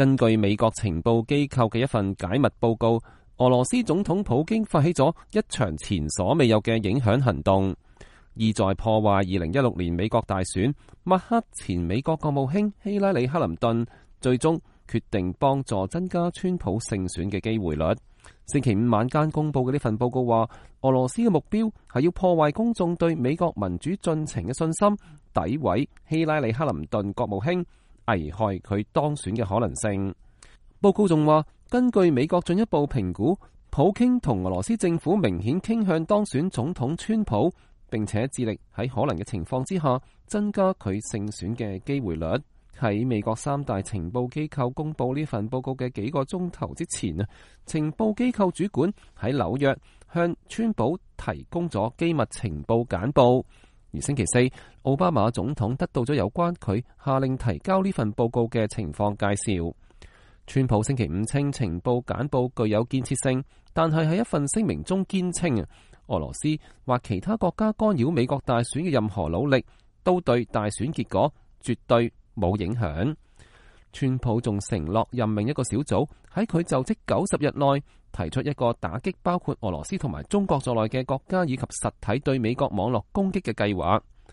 根據美國情報機構嘅一份解密報告，俄羅斯總統普京發起咗一場前所未有嘅影響行動，意在破壞2016年美國大選。抹黑前美國國務卿希拉里·克林頓，最終決定幫助增加川普勝選嘅機會率。星期五晚間公佈嘅呢份報告話，俄羅斯嘅目標係要破壞公眾對美國民主進程嘅信心，詆毀希拉里·克林頓國務卿，危害佢當選嘅可能性。報告仲話，根據美國進一步評估，普京同俄羅斯政府明顯傾向當選總統川普，並且致力喺可能嘅情況之下增加佢勝選嘅機會率。喺美國三大情報機構公佈呢份報告嘅幾個鐘頭之前啊，情報機構主管喺紐約向川普提供咗機密情報簡報。而星期四，奧巴馬總統得到咗有關佢下令提交呢份報告嘅情況介紹。川普星期五稱情報簡報具有建設性，但係喺一份聲明中堅稱俄羅斯或其他國家干擾美國大選嘅任何努力都對大選結果絕對冇影響。川普仲承諾任命一個小組喺佢就職90日內提出一個打擊包括俄羅斯同埋中國在內嘅國家以及實體對美國網絡攻擊嘅計劃。